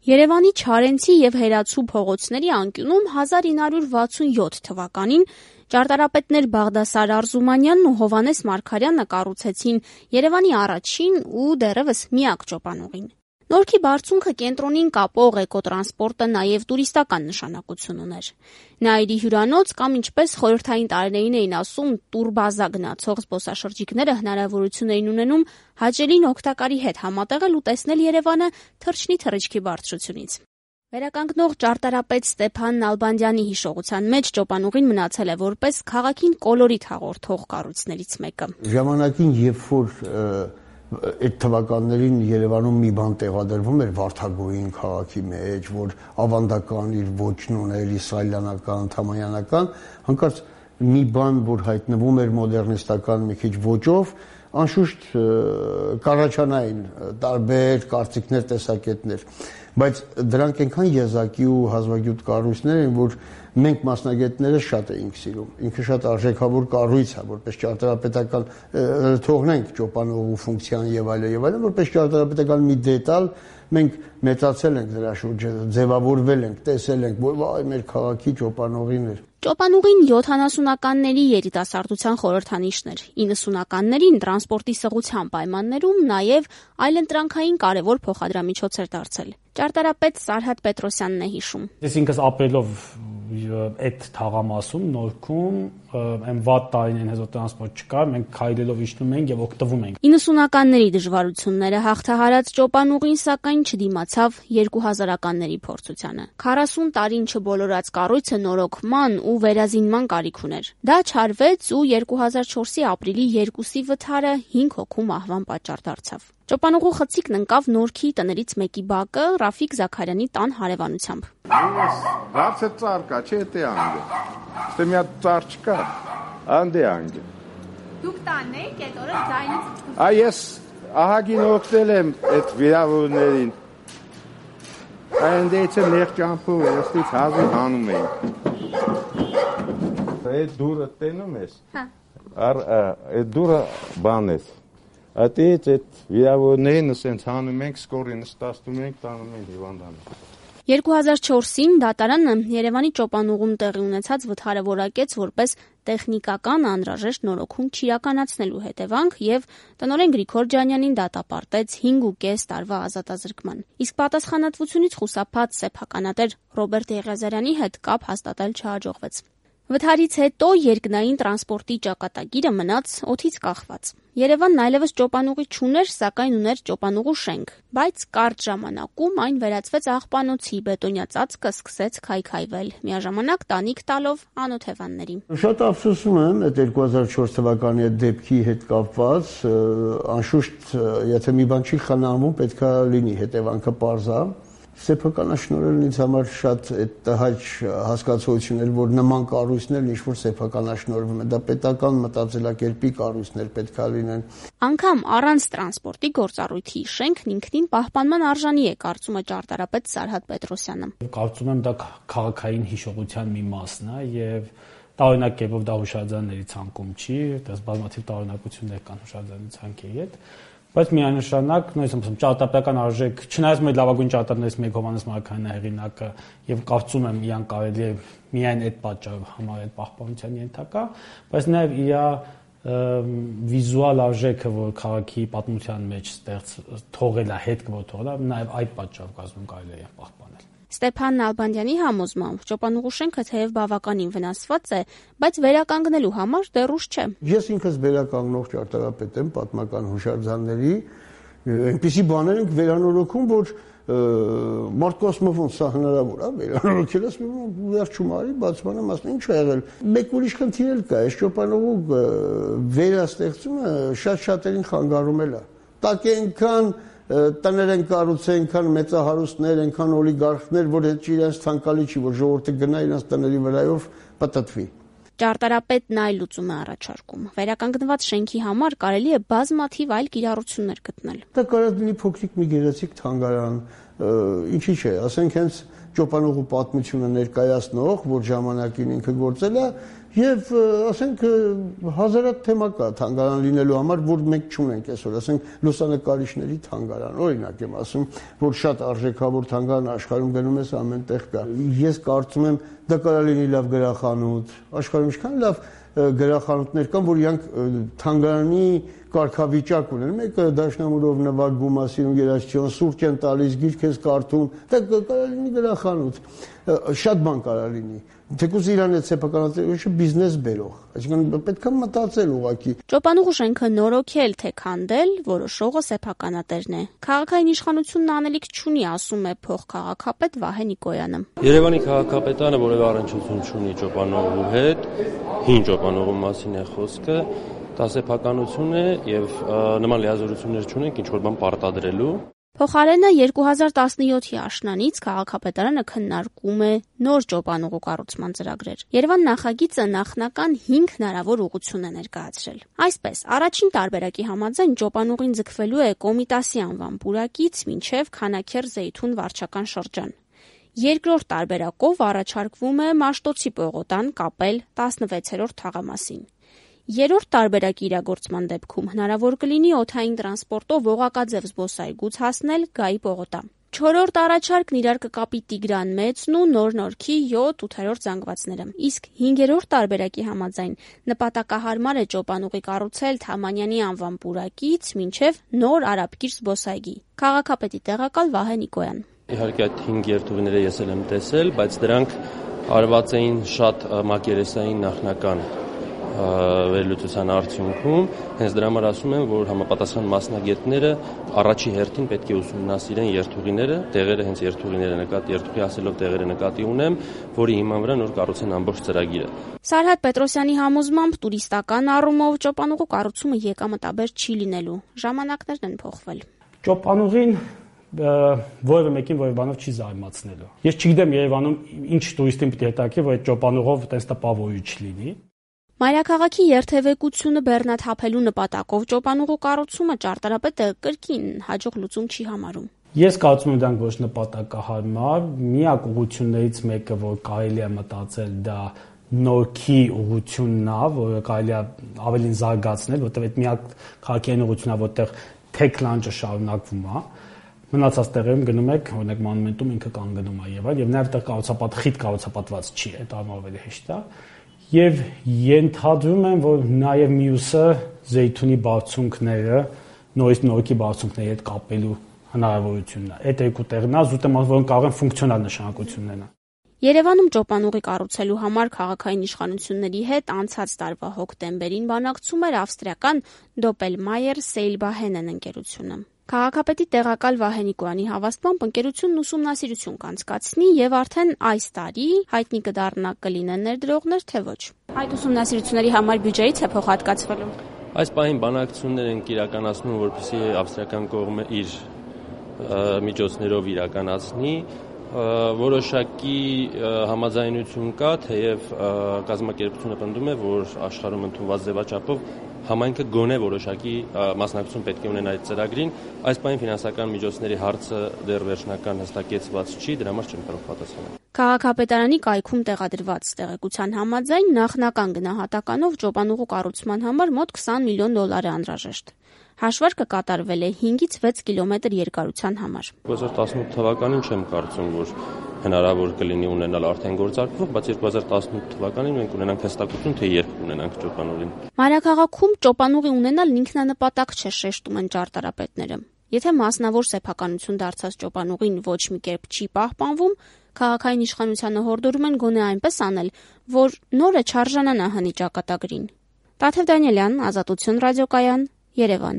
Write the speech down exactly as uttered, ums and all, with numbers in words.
Երևանի Չարենցի և Հերացու փողոցների անկյունում հազար ինը հարյուր վաթսունյոթ թվականին ճարտարապետներ Բաղդասար Արզումանյանն ու Հովհաննես Մարգարյանը կառուցեցին Երևանի առաջին ու դեռևս միակ ճոպանուղին։ Նորքի բարձունքը կենտրոնին կապող էկոտրանսպորտը նաև տուրիստական նշանակություն ուներ։ Նաիրի հյուրանոց կամ ինչպես խորհրդային տարիներին էին ասում տուրբազա գնացող զբոսաշրջիկները հնարավորություն էին ունենում հաճելին օգտակարի հետ համատեղել ու տեսնել Երևանը թռչնի թռիչքի բարձրությունից։ Վերականգնող ճարտարապետ Ստեփան Նալբանդյանի հիշողության մեջ ճոպանուղին մնացել է որպես քաղաքին կոլորիտ հաղորդող կառույցներից մեկը։ Ժամանակին, երբ որ այդ թվականներին Երևանում մի բան տեղադրվում էր Վարդագոյին քաղաքի մեջ, որ ավանդական իր ոճն ուներ, իսրայելյանական, թամանյանական, հանկարծ մի բան, որ հայտնվում էր մոդեռնիստական մի քիչ ոճով, անշուշտ կառաջանային տարբեր կարծիքներ, տեսակետներ, բայց դրանք այնքան եզակի ու հազվագյուտ կառույցներ են, որ մենք մասնագետները շատ էինք սիրում։ Ինքը շատ արժեքավոր կառույց է, որպես ճարտարապետական թողնենք ճոպանուղու ֆունկցիան եւ այլն եւ այլն, որպես ճարտարապետական մի դետալ մենք մեծացել ենք դրա շուրջը, ձևավորվել ենք, տեսել ենք, որ վայ մեր քաղաքի ճոպանուղին էր։ Ճոպանուղին յոթանասունականների երիտասարդության խորհրդանիշն էր, իննսունականներին տրանսպորտի սղության պայմաններում նաև այլընտրանքային կարևոր փոխադրամիջոց էր դարձել։ Ճարտարապետ Սարհատ Պետրոսյանն է հիշում։ Ես ինքս ապրելով այդ թաղամասում Նորքում այն վատ տարիներին հեզ տրանսպորտ չկար, մենք քայլելով իջնում ենք եւ օգտվում ենք։ իննսունականների դժվարությունները հաղթահարած ճոպանուղին սակայն չդիմացավ երկու հազարականների փորձությանը։ քառասուն տարին չբոլորած կառույցը նորոգման ու վերազինման կարիք ուներ։ Դա չարվեց ու երկու հազար չորսի ապրիլի երկուսի վթարը հինգ հոգու մահվան պատճառ դարձավ։ Ճոպանուղու խցիկն ընկավ Նորքի տներից մեկի բակը Ռաֆիկ Զաքարյանի տան հարևանությամբ։ Բարձր ծառ կա, չէ՞ թե անգե։ Ստե մի հատ ծառ չկա, անդե անգե։ Դուք տանն եք, այդ օրը ձայնից։ Այ ես ահագին օգնել եմ այդ վիրավորներին։ Այնտեղից նեղ ճամփով էստից հազիվ հանում ենք։ Այդ դուրը տենում ես։ Հա։ Ար այդ դուրը բան է։ Ատից այդ վիրավորներին ասենց հանում ենք, սկորին ստացնում ենք, տանում ենք հիվանդանոց։ երկու հազար չորսին դատարանը Երևանի ճոպանուղում տեղի ունեցած վթարը որակեց որպես տեխնիկական անհրաժեշտ նորոգում չիրականացնելու հետևանք եւ տնօրեն Գրիգոր Ջանյանին դատապարտեց հինգ ու կես տարվա ազատազրկման։ Իսկ պատասխանատվությունից խուսափած սեփականատեր Ռոբերտ Եղիազարյանի հետ կապ հաստատել չհաջողվեց։ Վթարից հետո երկնային տրանսպորտի ճակատագիրը մնաց օդից կախված։ Երևանն այլևս ճոպանուղի չուներ, սակայն ուներ ճոպանուղու շենք, բայց կարճ ժամանակում այն վերածվեց աղբանոցի, բետոնյա ծածկը սկսեց քայքայվել, միաժամանակ տանիք տալով անօթևաններին։ Շատ ափսոսում եմ այդ երկու հազար չորս թվականի այդ դեպքի հետ կապված, անշուշտ եթե մի բան չի խնամում, պետք է լինի հետևանքը պարզա։ Սեփականաշնորհելն ինձ համար շատ այդ տհաճ հասկացություն էր, որ նման կառույցներ ինչ-որ սեփականաշնորհվում են, դա պետական մտածելակերպի կառույցներ պետք է լինեն։ Անգամ առանց տրանսպորտի գործառույթի շենքն ինքնին պահպանման արժանի է, կարծում է ճարտարապետ Սարհատ Պետրոսյանը։ Կարծում եմ դա քաղաքային հիշողության մի մասն է եւ տարօրինակ կերպով դա հուշարձանների ցանկում չի, դες բազմաթիվ տարօրինակություններ կան հուշարձանի ցանկի հետ։ Բայց միանշանակ, նույնիսկ ասում ճարտարապետական արժեք, չնայած մեր լավագույն ճարտարներից մեկ Հովհաննես Մարգարյանն է հեղինակը եւ կարծում եմ իրան կարելի է միայն այդ պատճառով համարել պահպանության ենթակա, բայց նաեւ իր վիզուալ արժեքը, որ քաղաքի պատմության մեջ ստեղծ թողել է, հետ կվոր թողել է, նաեւ այդ պատճառով կազմում կարելի է պահպանել։ Ստեփան Նալբանդյանի համոզմամբ ճոպանուղու շենքը թեև բավականին վնասված է, բայց վերականգնելու համար դեռ ուշ չէ։ Ես ինքս վերականգնող ճարտարապետ եմ պատմական հուշարձանների, այնպիսի բաներ ենք վերանորոգում, որ մարդկոսմով սա հնարավոր է վերանորոգել, ասում վերջում արի, բացման եմ ասում ինչ է եղել։ Մեկ ուրիշ խնդիր էլ կա, այս ճոպանուղու վերաստեղծումը շատ-շատերին խանգարումել է։ Տակ այնքան տներ են կառուցել, այնքան մեծահարուստներ, այնքան օլիգարխներ, որ հետ իրենց ցանկալի չի, որ ժողովուրդը գնա իրենց տների վրայով պատտվի։ Ճարտարապետն այլ լուծում է առաջարկում։ Վերականգնված շենքի համար կարելի է բազմաթիվ այլ կիրառություններ գտնել։ Դա կարող լինի փոքրիկ մի գեղեցիկ թանգարան, ինչի՞ չէ, ասենք հենց ճոպանուղու պատմությունը ներկայացնող, որ ժամանակին ինքը գործել է, Եվ ասենք հազարատ թեմա կա թանգարան լինելու համար, որ մենք չունենք այսօր, ասենք լուսանկարիչների թանգարան, օրինակ եմ ասում, որ շատ արժեքավոր թանգարան աշխարհում գնում ես ամենտեղ կա։ Ես կարծում եմ դա կարող լինի լավ գրախանութ, աշխարհում ինչքան լավ գրախանութներ կան, որ իրանք թանգարանի կարգավիճակ ունեն։ Մեկը դաշնամուրով նվագում, ասում երաժշտություն, սուրճ են տալիս, գիրք ես կարդում, դա կարող լինի գրախանութ։ Շատ բան կարող լինի։ Թեկուզ Իրանի սեփականատերությունը բիզնես բերող, այսինքն պետք է մտածել ուղղակի։ Ճոպանուղու շենքը նորոգել թե քանդել, որոշողը սեփականատերն է։ Քաղաքային իշխանությունն անելիք չունի, ասում է փոխքաղաքապետ Վահե Նիկոյանը։ Երևանի քաղաքապետարանը որևէ առնչություն չունի Ճոպանուղու հետ, հին Ճոպանուղու մասին է խոսքը, դա սեփականություն է եւ նման լիազորություններ չունենք ինչ որ բան պարտադրելու։ Փոխարենը երկու հազար տասնյոթի աշնանից քաղաքապետարանը քննարկում է նոր Ճոպանուղու կառուցման ծրագրեր։ Երևան նախագիծը նախնական հինգ հնարավոր ուղղություն է ներկայացրել։ Այսպես, առաջին տարբերակի համաձայն Ճոպանուղին ձգվելու է Կոմիտասի անվան պուրակից մինչև Քանաքեռ-Զեյթուն վարչական շրջան։ Երկրորդ տարբերակով առաջարկվում է Մաշտոցի պողոտան կապել տասնվեցերորդ թաղամասին։ Երրորդ տարբերակի իրագործման դեպքում հնարավոր կլինի օդային տրանսպորտով օղակաձև զբոսայգուց հասնել Գայի պողոտա։ Չորրորդ առաջարկն իրար կկապի Տիգրան Մեծն ու Նոր Նորքի յոթ-ութերորդ զանգվածները։ Իսկ հինգերորդ տարբերակի համաձայն նպատակահարմար է Ճոպանուղի կառուցել Թամանյանի անվան պուրակից մինչև Նոր Արաբկիր զբոսայգի։ Քաղաքապետի տեղակալ Վահե Նիկոյան։ Իհարկե այդ հինգ երթուղիները ես էլ եմ տեսել, բայց դրանք արված էին շատ մակերեսային նախնական վերլուծության արդյունքում, հենց դրա համար ասում եմ, որ համապատասխան մասնագետները առաջի հերթին պետք է ուսումնասիրեն երթուղիները, տեղերը հենց երթուղիները նկատի, երթուղի ասելով տեղերը նկատի ունեմ, որի հիման վրա նոր կառուցեն ամբողջ ծրագիրը։ Սարհատ Պետրոսյանի համոզմամբ տուրիստական առումով Ճոպանուղու կառուցումը եկամտաբեր չի լինելու, ժամանակներն են փոխվել։ Ճոպանուղին որևէ մեկին որևէ բանով չի զարմացնելու։ Ես չգիտեմ Երևանում ինչ տուրիստին պետք է հետաքրքրի, որ այդ Ճոպանուղով այտենց տպավորիչ լինի։ Մայրաքաղաքի երթևեկությունը բեռնաթափելու նպատակով Ճոպանուղու կառուցումը ճարտարապետը կրկին հաջող լուծում չի համարում։ Ես կարծում եմ դրանք ոչ նպատակահարմար, միակ ուղղություններից մեկը, որ կարելի է մտածել, դա Նորքի ուղղությունն է, որը կարելի է ավելին զարգացնել, որտեղ այդ միակ քաղաքային ուղղությունն է, որտեղ թեք լանջը շարունակվում է։ Մնացած տեղերում գնում եք, օրինակ մանումենտում ինքը կանգնում է եւ այլ, եւ նաեւ տեղ կառուցապատ խիտ կառուցապատված չի, այդ առումով հեշտ է։ Եվ ենթադրում եմ, որ նաեւ մյուսը Զեյթունի բարձունքները, նորից Նորքի բարձունքների հետ կապելու հնարավորությունն է։ Այդ երկու տեղն է, զուտ եմ ասում, որ կարող են ֆունկցիոնալ նշանակություն ունենալ։ Երևանում Ճոպանուղի կառուցելու համար քաղաքային իշխանությունների հետ անցած տարվա հոկտեմբերին բանակցում էր ավստրիական Doppelmayr Seilbahnen ընկերությունը։ Քաղաքապետի տեղակալ Վահե Նիկոյանի հավաստմամբ ընկերությունն ուսումնասիրություն կանցկացնի եւ արդեն այս տարի հայտնի կդառնա կլինեն ներդրողներ, թե ոչ։ Այդ ուսումնասիրությունների համար բյուջեից է փոխհատկացվելու։ Այս պահին բանակցություններ են իրականացնում, որպեսզի ավստրիական կողմը իր միջոցներով իրականացնի, որոշակի համաձայնություն կա, թեև կազմակերպությունը պնդում է, որ աշխարհում ընդունված ձևաչափով համայնքը գոնե որոշակի մասնակցություն պետք է ունենա այդ ծրագրին, այս պահին ֆինանսական միջոցների հարցը դեռ վերջնական հստակեցված չի, դրա համար չեմ կարող պատասխանել։ Քաղաքապետարանի կայքում տեղադրված տեղեկության համաձայն նախնական գնահատականով Ճոպանուղու կառուցման համար մոտ քսան միլիոն դոլար է անհրաժեշտ։ Հաշվարկը կատարվել է հինգից վեց կիլոմետր երկարության համար։ երկու հազար տասնութ թվականին չեմ կարծում, որ հնարավոր կլինի ունենալ արդեն գործարկվող, բայց երկու հազար տասնութ թվականին մենք ունենանք հստակություն, թե երբ կունենանք Ճոպանուղին։ Մայրաքաղաքում Ճոպանուղի ունենալն ինքնանպատակ չէ, շեշտում են ճարտարապետները։ Եթե մասնավոր սեփականություն դարձած Ճոպանուղին ոչ մի կերպ չի պահպանվում, քաղաքային իշխանությանը հորդորում են գոնե այնպես անել, որ նորը չարժանանա հնի ճակատագրին։ Տաթև Դանիելյան, Ազատություն ռադիոկայան, Երևան։